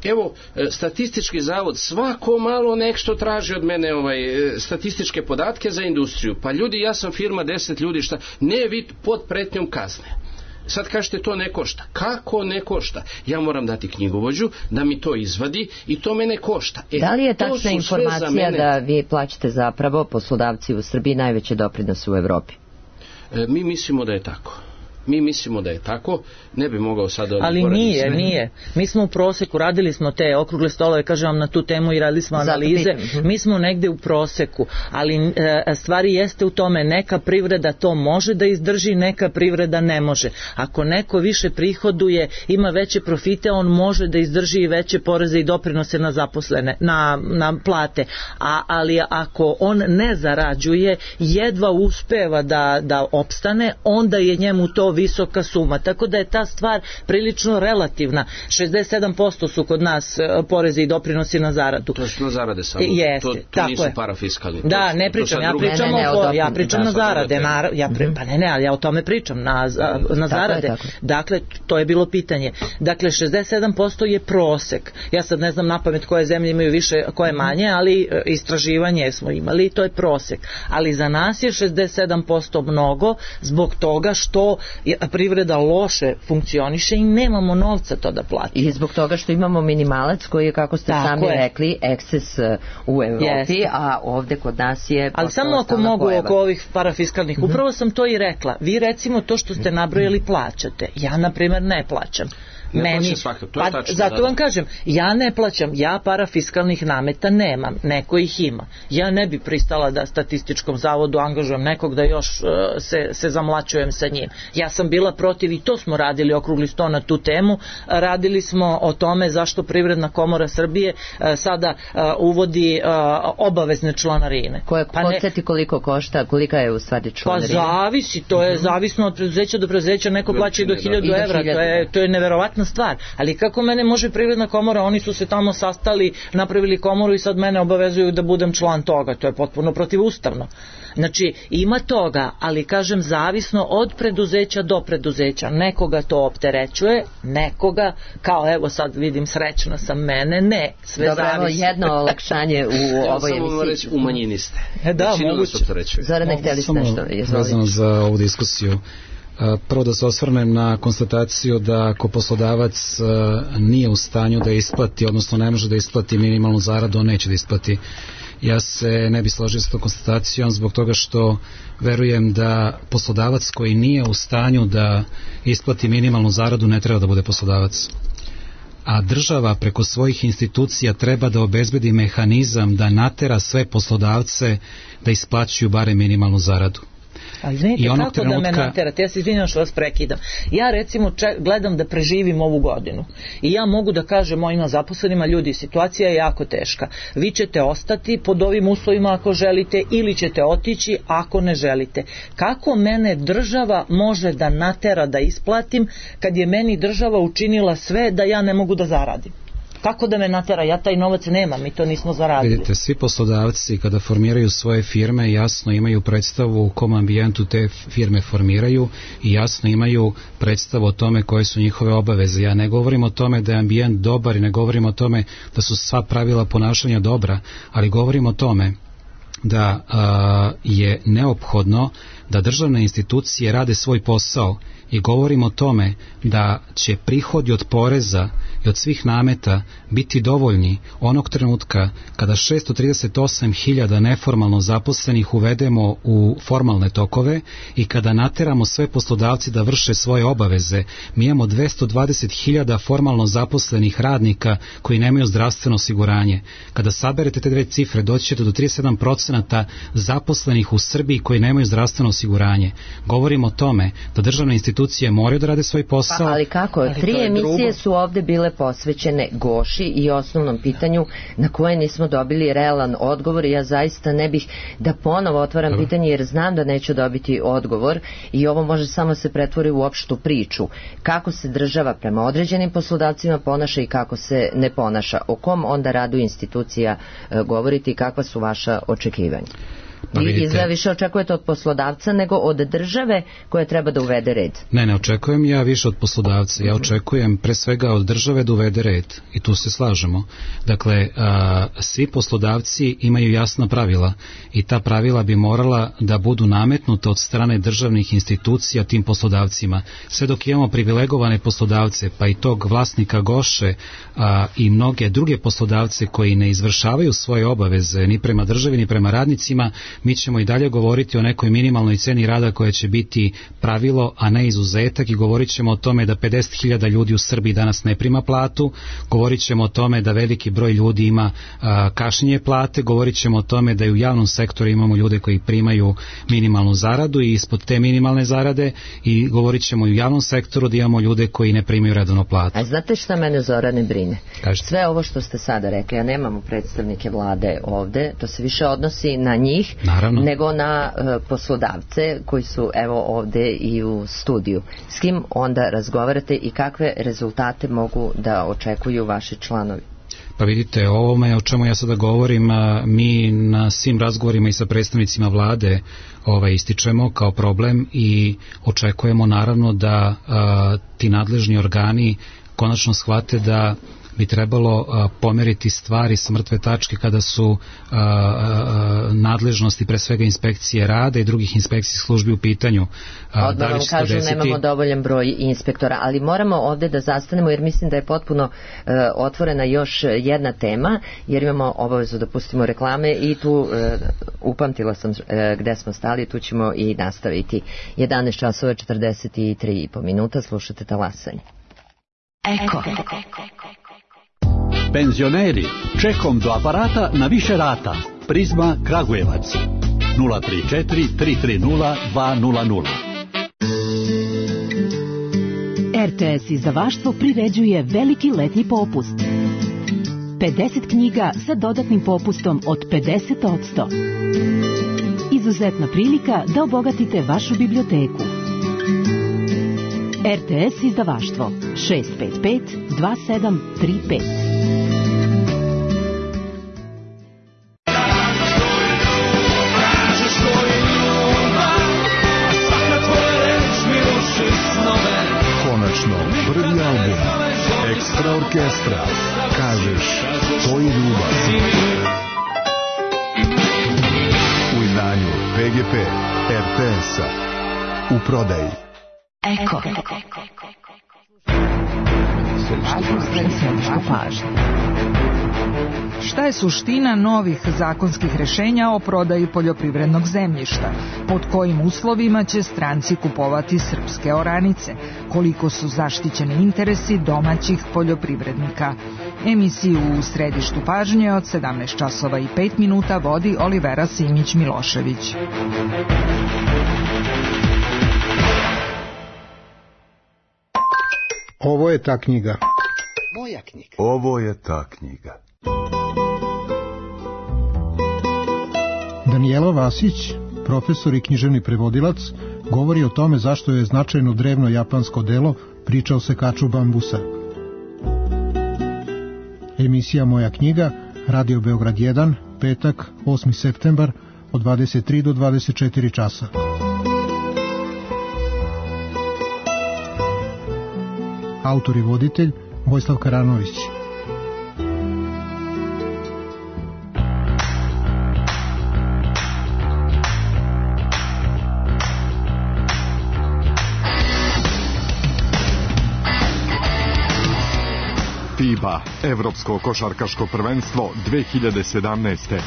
Evo, statistički zavod svako malo nešto traži od mene statističke podatke za industriju. Pa ljudi, ja sam firma 10 ljudi, šta? Ne, vi pod pretnjom kazne. Sad kažete to ne košta. Kako ne košta? Ja moram dati knjigovođu da mi to izvadi i to mene košta. Da li je tačna informacija da vi plaćate zapravo poslodavci u Srbiji najveće doprinose u Evropi? Mi mislimo da je tako. Ne bi mogao sad... Ali nije. Mi smo u proseku, radili smo te okrugle stolove, kažem vam na tu temu i radili smo analize. Mi smo negde u proseku, ali stvari jeste u tome, neka privreda to može da izdrži, neka privreda ne može. Ako neko više prihoduje, ima veće profite, on može da izdrži i veće poreze i doprinose na zaposlene, na plate. Ali ako on ne zarađuje, jedva uspeva da opstane, onda je njemu to visoka suma. Tako da je ta stvar prilično relativna. 67% su kod nas porezi i doprinosi na zaradu. To su na zarade samo. Jeste, to nisu parafiskalni. Da, ne pričam, ja pričam na zarade. Ali ja o tome pričam, na zarade. Dakle, to je bilo pitanje. Dakle, 67% je prosek. Ja sad ne znam napamet koje zemlje imaju više, koje manje, ali istraživanje smo imali i to je prosek. Ali za nas je 67% mnogo zbog toga što privreda loše funkcioniše i nemamo novca to da platimo. I zbog toga što imamo minimalac koji je, kako ste sami rekli, eksces u Evropi, a ovde kod nas je... Ali samo ako mogu oko ovih parafiskalnih, upravo sam to i rekla. Vi recimo to što ste nabrojali plaćate. Ja, na primjer, ne plaćam. Zato vam kažem, ja ne plaćam, ja parafiskalnih nameta nemam, neko ih ima. Ja ne bi pristala da statističkom zavodu angažujem nekog da još se zamlačujem sa njim. Ja sam bila protiv i to smo radili okrugli sto na tu temu. Radili smo o tome zašto Privredna komora Srbije sada uvodi obavezne članarine. Podsjeti koliko košta, kolika je u stvari članarina? Pa zavisi, to je zavisno od preduzeća do preduzeća, neko plaća i do 1000 evra, to je neverovatno stvar, ali kako mene može Privredna komora, oni su se tamo sastali, napravili komoru i sad mene obavezuju da budem član toga, to je potpuno protivustavno. Znači, ima toga, ali kažem zavisno od preduzeća do preduzeća. Nekoga to opterećuje, nekoga, kao evo sad vidim srećna sam mene, ne, sve dobro, zavisi. Dobro, jedno olakšanje u ovoj emisiji. Samo reći, u manjini ste. Da, moguće. Zorane, htjeli ste nešto? Vezano za ovu diskusiju. Prvo da se osvrnem na konstataciju da ako poslodavac nije u stanju da isplati, odnosno ne može da isplati minimalnu zaradu, on neće da isplati. Ja se ne bi složio s tom konstatacijom zbog toga što verujem da poslodavac koji nije u stanju da isplati minimalnu zaradu ne treba da bude poslodavac. A država preko svojih institucija treba da obezbedi mehanizam da natera sve poslodavce da isplaćuju bare minimalnu zaradu. Ali znate, kako da me naterate, ja se izvinjam što vas prekidam. Ja recimo gledam da preživim ovu godinu i ja mogu da kažem mojima zaposlenima, ljudi, situacija je jako teška. Vi ćete ostati pod ovim uslovima ako želite ili ćete otići ako ne želite. Kako mene država može da natera da isplatim kad je meni država učinila sve da ja ne mogu da zaradim? Kako da me natera? Ja taj novac nemam, mi to nismo zaradili. Vidite, svi poslodavci kada formiraju svoje firme jasno imaju predstavu u kom ambijentu te firme formiraju i jasno imaju predstavu o tome koje su njihove obaveze. Ja ne govorim o tome da je ambijent dobar i ne govorim o tome da su sva pravila ponašanja dobra, ali govorim o tome da je neophodno da državne institucije rade svoj posao i govorim o tome da će prihodi od poreza i od svih nameta biti dovoljni onog trenutka kada 638.000 neformalno zaposlenih uvedemo u formalne tokove i kada nateramo sve poslodavci da vrše svoje obaveze. Mi imamo 220.000 formalno zaposlenih radnika koji nemaju zdravstveno osiguranje. Kada saberete te dve cifre, doći ćete do 37% zaposlenih u Srbiji koji nemaju zdravstveno osiguranje. Govorimo o tome da državne institucije moraju da rade svoj posao. Ali kako? 3 emisije su ovde bile posvećene Goši i osnovnom pitanju na koje nismo dobili realan odgovor i ja zaista ne bih da ponovo otvaram pitanje jer znam da neću dobiti odgovor i ovo može samo se pretvori u opštu priču. Kako se država prema određenim poslodavcima ponaša i kako se ne ponaša? O kom onda radu institucija govoriti i kakva su vaša očekivanja? Vi izgleda više očekujete od poslodavca nego od države koja treba da uvede red. Ne očekujem ja više od poslodavca. Ja očekujem pre svega od države da uvede red. I tu se slažemo. Dakle, svi poslodavci imaju jasna pravila i ta pravila bi morala da budu nametnuta od strane državnih institucija tim poslodavcima. Sve dok imamo privilegovane poslodavce, pa i tog vlasnika Goše i mnoge druge poslodavce koji ne izvršavaju svoje obaveze ni prema državi ni prema radnicima, mi ćemo i dalje govoriti o nekoj minimalnoj ceni rada koja će biti pravilo, a ne izuzetak i govorit ćemo o tome da 50.000 ljudi u Srbiji danas ne prima platu, govorit ćemo o tome da veliki broj ljudi ima kašnjenje plate, govorit ćemo o tome da i u javnom sektoru imamo ljude koji primaju minimalnu zaradu i ispod te minimalne zarade i govorit ćemo i u javnom sektoru da imamo ljude koji ne primaju redovno platu. A znate šta mene, Zorane, brine? Kažete. Sve ovo što ste sada rekli, ja nemamo predstavnike vlade ovde, to se više odnosi na njih, naravno, nego na poslodavce koji su evo ovde i u studiju. S kim onda razgovarate i kakve rezultate mogu da očekuju vaši članovi? Pa vidite, ovome o čemu ja sada govorim, mi na svim razgovorima i sa predstavnicima vlade ističemo kao problem i očekujemo naravno da ti nadležni organi konačno shvate da bi trebalo pomeriti stvari sa mrtve tačke kada su nadležnosti pre svega inspekcije rada i drugih inspekcijskih službi u pitanju. Odmah vam kažu nemamo dovoljan broj inspektora, ali moramo ovde da zastanemo jer mislim da je potpuno otvorena još jedna tema, jer imamo obavezu da pustimo reklame i tu upamtila sam gde smo stali, tu ćemo i nastaviti. 11 časova 43,5 minuta, slušate Talasanje. Eko. Penzioneri, čekom do aparata na više rata. Prizma Kragujevac 034 330 200. RTS izdavaštvo priređuje veliki letnji popust. 50 knjiga sa dodatnim popustom od 50%. Izuzetna prilika da obogatite vašu biblioteku. RTS izdavaštvo 655 2735. Konačno, prvi album Ekstra orkestra. Kažeš, to je ljubav. U izdanju PGP RTS-a. U prodaji. Eko. Središnja pažnja. Šta je suština novih zakonskih rešenja o prodaji poljoprivrednog zemljišta? Pod kojim uslovima će stranci kupovati srpske oranice? Koliko su zaštićeni interesi domaćih poljoprivrednika? Emisiju u središtu pažnje od 17 časova i 5 minuta vodi Olivera Simić-Milošević. Ovo je ta knjiga. Moja knjiga. Ovo je ta knjiga. Danijela Vasić, profesor i književni prevodilac, govori o tome zašto je značajno drevno japansko delo priča o sekaču bambusa. Emisija Moja knjiga, Radio Beograd 1, petak, 8. septembar, od 23 do 24 časa. Autor i voditelj Vojislav Karanović. FIBA, Evropsko košarkaško prvenstvo 2017.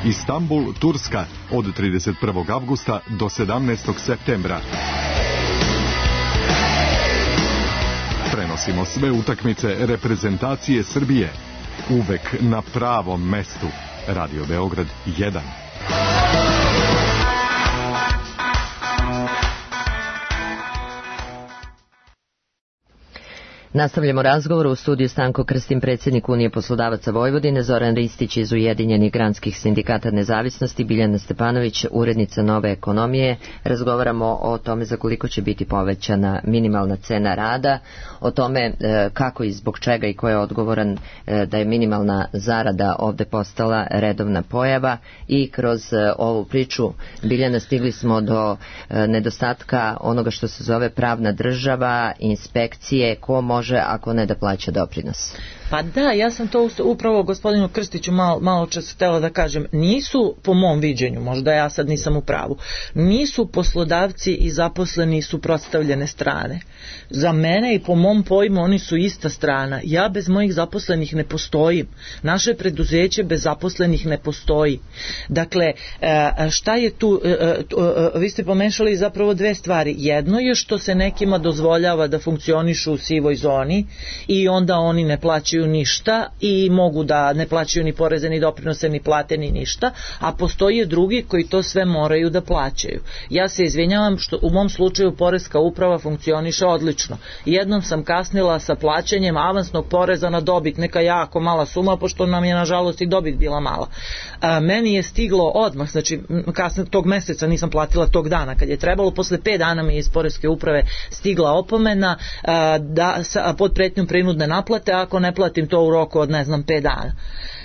Istanbul, Turska, od 31. avgusta do 17. septembra. Prenosimo sve utakmice reprezentacije Srbije. Uvek na pravom mestu. Radio Beograd 1. Nastavljamo razgovor u studiju Stanko Krstin, predsjednik Unije poslodavaca Vojvodine, Zoran Ristić iz Ujedinjenih granskih sindikata nezavisnosti, Biljana Stepanović, urednica Nove ekonomije. Razgovaramo o tome za koliko će biti povećana minimalna cena rada, o tome kako i zbog čega i ko je odgovoran da je minimalna zarada ovde postala redovna pojava i kroz ovu priču, Biljana, stigli smo do nedostatka onoga što se zove pravna država, inspekcije, ko može ako ne da plaća doprinos. Pa da, ja sam to upravo gospodinu Krstiću malo čas htjela da kažem. Nisu, po mom viđenju, možda ja sad nisam u pravu, nisu poslodavci i zaposleni suprotstavljene strane. Za mene i po mom pojmu oni su ista strana. Ja bez mojih zaposlenih ne postojim. Naše preduzeće bez zaposlenih ne postoji. Dakle, šta je tu, vi ste pomešali zapravo dve stvari. Jedno je što se nekima dozvoljava da funkcionišu u sivoj zoni i onda oni ne plaćaju ništa i mogu da ne plaćaju ni poreze, ni doprinose, ni plate, ni ništa, a postoje drugi koji to sve moraju da plaćaju. Ja se izvinjavam što u mom slučaju poreska uprava funkcioniše odlično. Jednom sam kasnila sa plaćanjem avansnog poreza na dobit, neka jako mala suma, pošto nam je nažalost i dobit bila mala. Meni je stiglo odmah, znači kasno tog meseca, nisam platila tog dana kad je trebalo, posle 5 dana mi je iz poreske uprave stigla opomena da pod pretnjom prinudne naplate ako ne platim to u roku od 5 dana.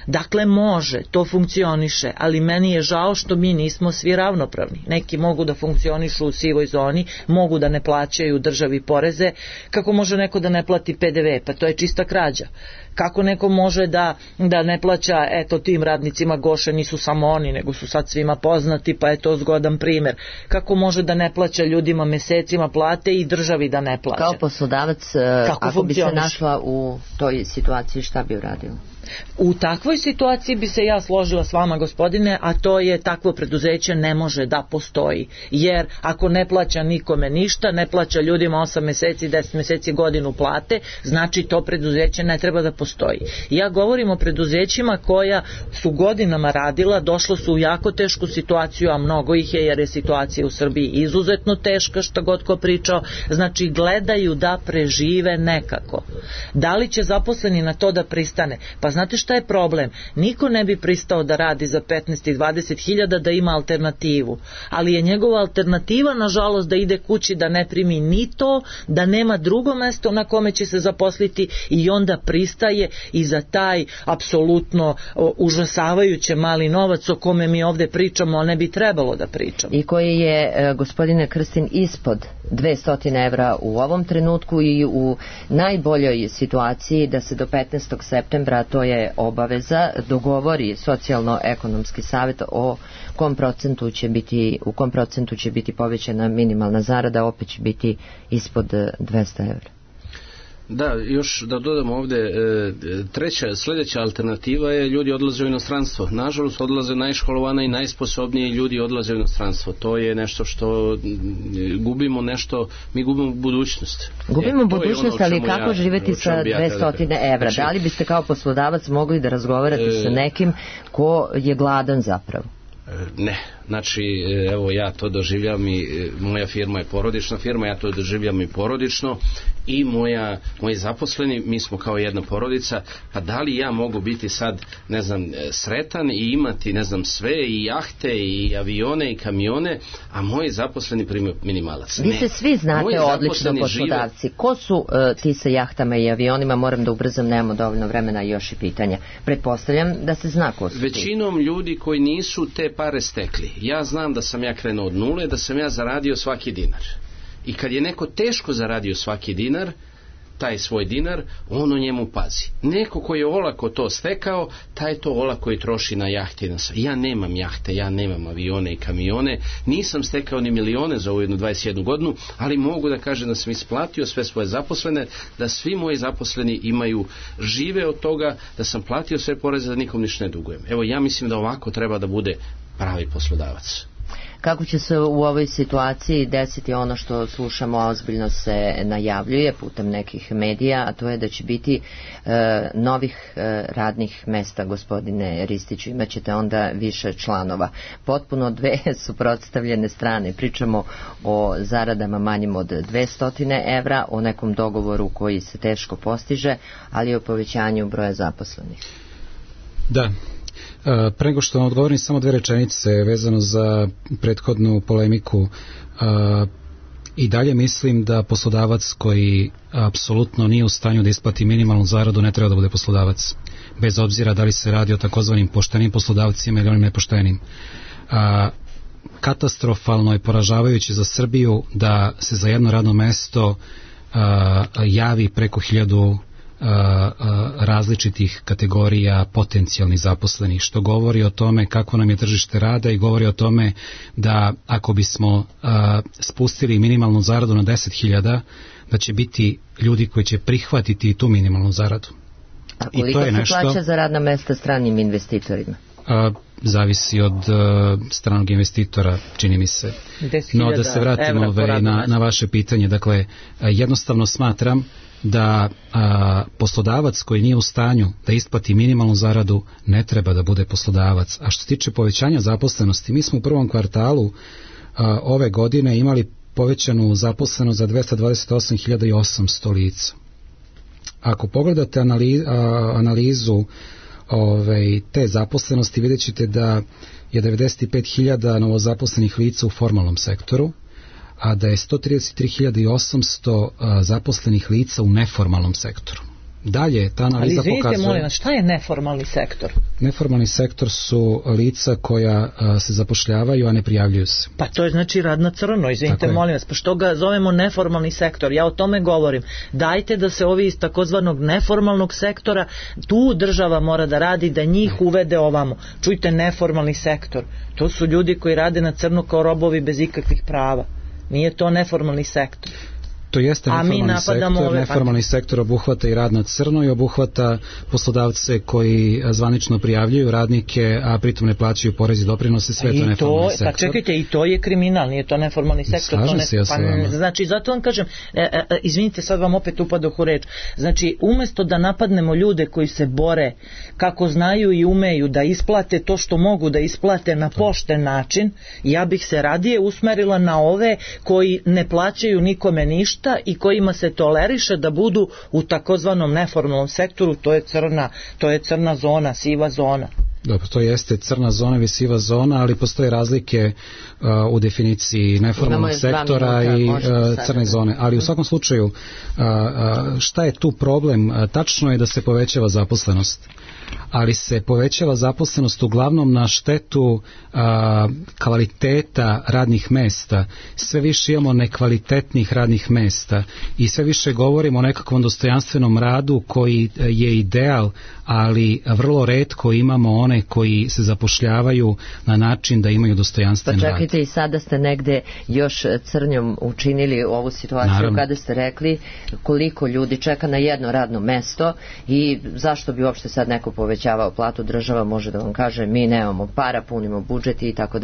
Dakle, može, to funkcioniše, ali meni je žao što mi nismo svi ravnopravni. Neki mogu da funkcionišu u sivoj zoni, mogu da ne plaćaju državi poreze. Kako može neko da ne plati PDV? Pa to je čista krađa. Kako neko može da ne plaća, eto, tim radnicima Goše, nisu samo oni, nego su sad svima poznati, pa je to zgodan primer. Kako može da ne plaća ljudima mesecima plate i državi da ne plaća? Kao poslodavac, ako bi se našla u toj situaciji, šta bi uradio? U takvoj situaciji bi se ja složila s vama, gospodine, a to je takvo preduzeće ne može da postoji, jer ako ne plaća nikome ništa, ne plaća ljudima 8 meseci, 10 meseci, godinu plate, znači to preduzeće ne treba da postoji. Ja govorim o preduzećima koja su godinama radila, došlo su u jako tešku situaciju, a mnogo ih je, jer je situacija u Srbiji izuzetno teška, što god ko pričao, znači gledaju da prežive nekako. Da li će zaposleni na to da pristane? Pa znate šta je problem? Niko ne bi pristao da radi za 15 i 20 hiljada da ima alternativu, ali je njegova alternativa nažalost da ide kući, da ne primi ni to, da nema drugo mesto na kome će se zaposliti i onda pristaje i za taj apsolutno užasavajuće mali novac o kome mi ovde pričamo, a ne bi trebalo da pričamo. I koji je, gospodine Krstin, ispod 200 evra u ovom trenutku i u najboljoj situaciji da se do 15. septembra, to je obaveza, dogovori socijalno-ekonomski savjet o kom procentu će biti povećana minimalna zarada, opet će biti ispod 200 evra. Da, još da dodam ovde, sljedeća alternativa je ljudi odlaze u inostranstvo. Nažalost, odlaze najškolovana i najsposobniji ljudi odlaze u inostranstvo. To je nešto što gubimo mi gubimo budućnost. Gubimo budućnost, ali kako živeti sa 200 evra? Da li biste kao poslodavac mogli da razgovarate sa nekim ko je gladan zapravo? Ne, znači evo ja to doživljam i moja firma je porodična firma, ja to doživljam i porodično i moji zaposleni, mi smo kao jedna porodica, pa da li ja mogu biti sad, ne znam, sretan i imati, ne znam, sve i jahte i avione i kamione, a moji zaposleni primaju minimalac? Vi se svi znate odlično poslodavci. Ko su ti sa jahtama i avionima? Moram da ubrzam, nemamo dovoljno vremena i još i pitanja. Pretpostavljam da se zna ko su ti. Većinom ljudi koji nisu te pare stekli. Ja znam da sam ja krenuo od nule, da sam ja zaradio svaki dinar. I kad je neko teško zaradio svaki dinar, taj svoj dinar, on o njemu pazi. Neko koji je olako to stekao, taj to olako i troši na jahte. Ja nemam jahte, ja nemam avione i kamione, nisam stekao ni milione za ovu 21 godinu, ali mogu da kažem da sam isplatio sve svoje zaposlene, da svi moji zaposleni žive od toga, da sam platio sve poreze, da nikom ništa ne dugujem. Evo, ja mislim da ovako treba da bude pravi poslodavac. Kako će se u ovoj situaciji desiti ono što slušamo, a ozbiljno se najavljuje putem nekih medija, a to je da će biti novih radnih mesta, gospodine Ristiću, imaćete onda više članova. Potpuno dve suprotstavljene strane. Pričamo o zaradama manjim od 200 evra, o nekom dogovoru koji se teško postiže, ali i o povećanju broja zaposlenih. Da. Pre nego što vam odgovorim, samo 2 rečenice vezano za prethodnu polemiku. I dalje mislim da poslodavac koji apsolutno nije u stanju da isplati minimalnu zaradu ne treba da bude poslodavac, bez obzira da li se radi o takozvanim poštenim poslodavcima ili onim nepoštenim. Katastrofalno je poražavajuće za Srbiju da se za jedno radno mesto javi preko 1000 različitih kategorija potencijalnih zaposlenih, što govori o tome kako nam je tržište rada i govori o tome da ako bismo spustili minimalnu zaradu na 10.000, da će biti ljudi koji će prihvatiti tu minimalnu zaradu. A koliko se plaća za radna mesta stranim investitorima? Zavisi od stranog investitora, čini mi se. No, da se vratimo na vaše pitanje, dakle, jednostavno smatram da poslodavac koji nije u stanju da isplati minimalnu zaradu ne treba da bude poslodavac. A što se tiče povećanja zaposlenosti, mi smo u prvom kvartalu ove godine imali povećanu zaposlenost za 228.800 lica. Ako pogledate analizu te zaposlenosti, vidjet ćete da je 95.000 novozaposlenih lica u formalnom sektoru, a da je 133.800 zaposlenih lica u neformalnom sektoru. Dalje, ta analiza ali izvinite, pokazuje... molim vas, šta je neformalni sektor? Neformalni sektor su lica koja se zapošljavaju, a ne prijavljuju se. Pa to je znači rad na crno, izvinite, molim vas, pa što ga zovemo neformalni sektor? Ja o tome govorim. Dajte da se ovi iz takozvanog neformalnog sektora, tu država mora da radi, da njih uvede ovamo. Čujte, neformalni sektor. To su ljudi koji rade na crno kao robovi bez ikakvih prava. Nije to neformalni sektor. To jeste neformalni sektor. Neformalni sektor obuhvata i rad na crno i obuhvata poslodavce koji zvanično prijavljuju radnike, a pritom ne plaćaju porez i doprinose, sve to neformalni sektor. Pa čekajte, i to je kriminal, nije to neformalni sektor. Slažem se ja sa vama. Znači, zato vam kažem, izvinite, sad vam opet upadoh u reč. Znači, umjesto da napadnemo ljude koji se bore, kako znaju i umeju da isplate to što mogu da isplate na pošten način, ja bih se radije usmerila na ove koji ne plaćaju nikome ništa i kojima se toleriše da budu u takozvanom neformalnom sektoru, to je crna zona, siva zona. Dobro, to jeste crna zona ili siva zona, ali postoje razlike u definiciji neformalnog sektora i crne zone. Ali u svakom slučaju, šta je tu problem? Tačno je da se povećava zaposlenost, ali se povećava zaposlenost uglavnom na štetu kvaliteta radnih mesta. Sve više imamo nekvalitetnih radnih mesta i sve više govorimo o nekakvom dostojanstvenom radu koji je ideal, ali vrlo retko imamo one koji se zapošljavaju na način da imaju dostojanstven rad. Pa čekajte, i sada ste negde još crnjom učinili ovu situaciju. Naravno. Kada ste rekli koliko ljudi čeka na jedno radno mesto i zašto bi uopšte sad neko povećavao platu, država može da vam kaže mi nemamo para, punimo budžet i tako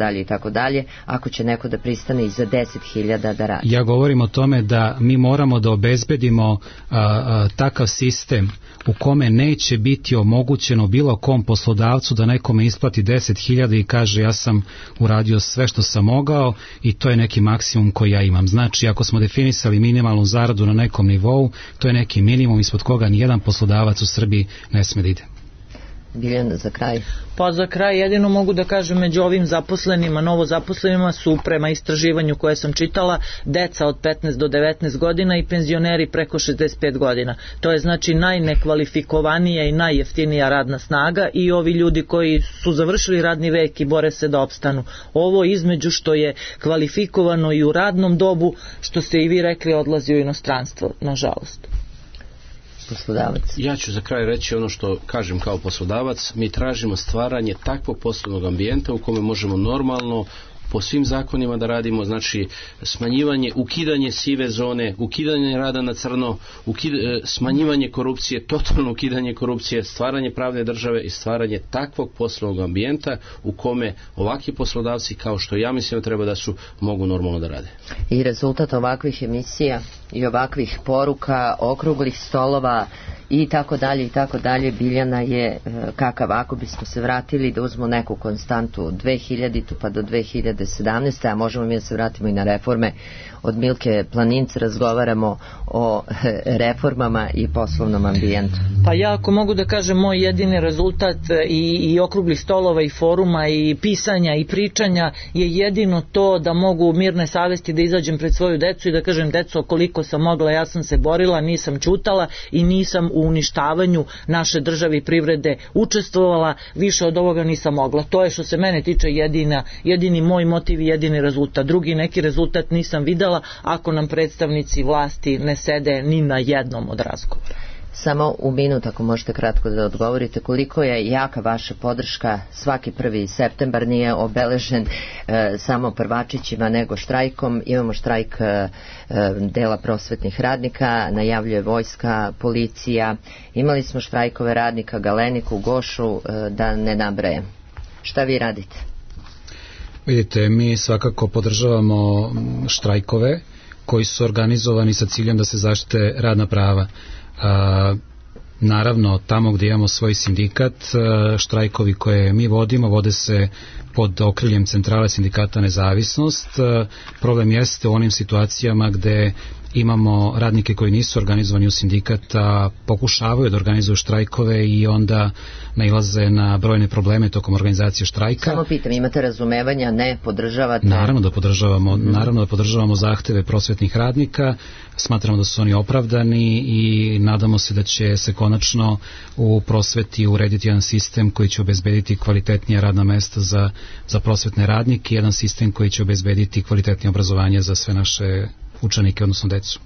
dalje, ako će neko da pristane i za 10.000 da radi. Ja govorim o tome da mi moramo da obezbedimo takav sistem u kome neće biti omogućeno bilo kom poslodavcu da nekome isplati 10.000 i kaže ja sam uradio sve što sam mogao i to je neki maksimum koji ja imam. Znači, ako smo definisali minimalnu zaradu na nekom nivou, to je neki minimum ispod koga nijedan poslodavac u Srbiji ne sme da ide. Biljana, za kraj. Pa za kraj jedino mogu da kažem, među ovim zaposlenima, novozaposlenima su prema istraživanju koje sam čitala deca od 15 do 19 godina i penzioneri preko 65 godina. To je znači najnekvalifikovanija i najjeftinija radna snaga i ovi ljudi koji su završili radni vek i bore se da opstanu. Ovo između što je kvalifikovano i u radnom dobu, što ste i vi rekli, odlazi u inostranstvo, nažalost. Poslodavac. Ja ću za kraj reći ono što kažem kao poslodavac. Mi tražimo stvaranje takvog poslovnog ambijenta u kome možemo normalno po svim zakonima da radimo, znači smanjivanje, ukidanje sive zone, ukidanje rada na crno, smanjivanje korupcije, totalno ukidanje korupcije, stvaranje pravne države i stvaranje takvog poslovnog ambijenta u kome ovakvi poslodavci, kao što ja mislim da treba da su, mogu normalno da rade. I rezultat ovakvih emisija i ovakvih poruka, okruglih stolova i tako dalje, Biljana, je kakav? Ako bismo se vratili da uzmemo neku konstantu od 2000 pa do 2017, a možemo mi da se vratimo i na reforme, od Milke Planince razgovaramo o reformama i poslovnom ambijentu. Pa ja ako mogu da kažem, moj jedini rezultat i okruglih stolova i foruma i pisanja i pričanja je jedino to da mogu mirne savesti da izađem pred svoju decu i da kažem, deco, koliko sam mogla, ja sam se borila, nisam ćutala i nisam u uništavanju naše države i privrede učestvovala, više od ovoga nisam mogla. To je što se mene tiče jedini moj motiv i jedini rezultat. Drugi neki rezultat nisam videla ako nam predstavnici vlasti ne sede ni na jednom od razgovora. Samo u minut, ako možete kratko da odgovorite, koliko je jaka vaša podrška? Svaki 1. septembar nije obeležen samo prvačićima nego štrajkom. Imamo štrajk dela prosvetnih radnika, najavljuje vojska, policija, imali smo štrajkove radnika Galeniku, Gošu, da ne nabrajem. Šta vi radite? Vidite, mi svakako podržavamo štrajkove koji su organizovani sa ciljem da se zaštite radna prava. Naravno, tamo gdje imamo svoj sindikat, štrajkovi koje mi vodimo vode se pod okriljem Centrale sindikata Nezavisnost. Problem jeste u onim situacijama gde imamo radnike koji nisu organizovani u sindikat, a pokušavaju da organizuju štrajkove i onda nailaze na brojne probleme tokom organizacije štrajka. Samo pitam, imate razumevanja, ne podržavate? Naravno da podržavamo zahteve prosvetnih radnika, smatramo da su oni opravdani i nadamo se da će se konačno u prosveti urediti jedan sistem koji će obezbediti kvalitetnija radna mesta za prosvetne radnike, jedan sistem koji će obezbediti kvalitetnije obrazovanje za sve naše učenike, odnosno decu.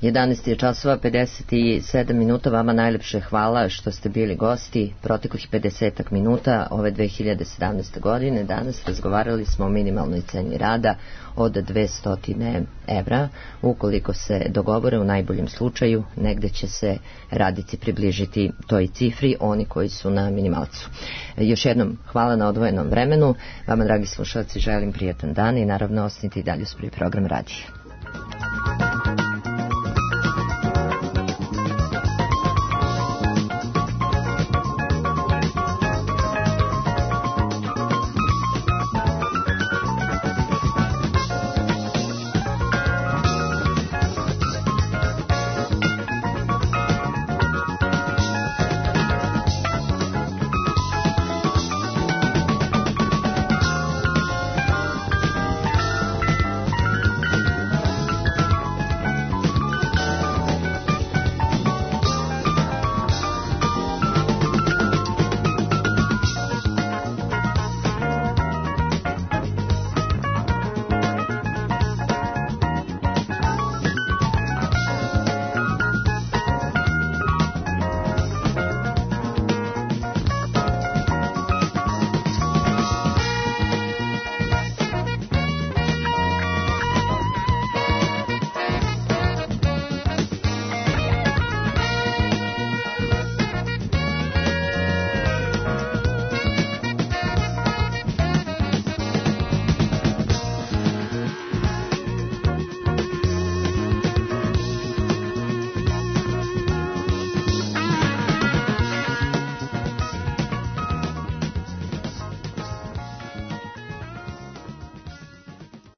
11 je časova, 57 minuta, vama najlepše hvala što ste bili gosti proteklih 50 minuta ove 2017. godine. Danas razgovarali smo o minimalnoj ceni rada od 200 evra. Ukoliko se dogovore, u najboljem slučaju negde će se radnici približiti toj cifri, oni koji su na minimalcu. Još jednom hvala na odvojenom vremenu. Vama, dragi slušalci, želim prijatan dan i naravno ostanite i dalje uz prvi program radija.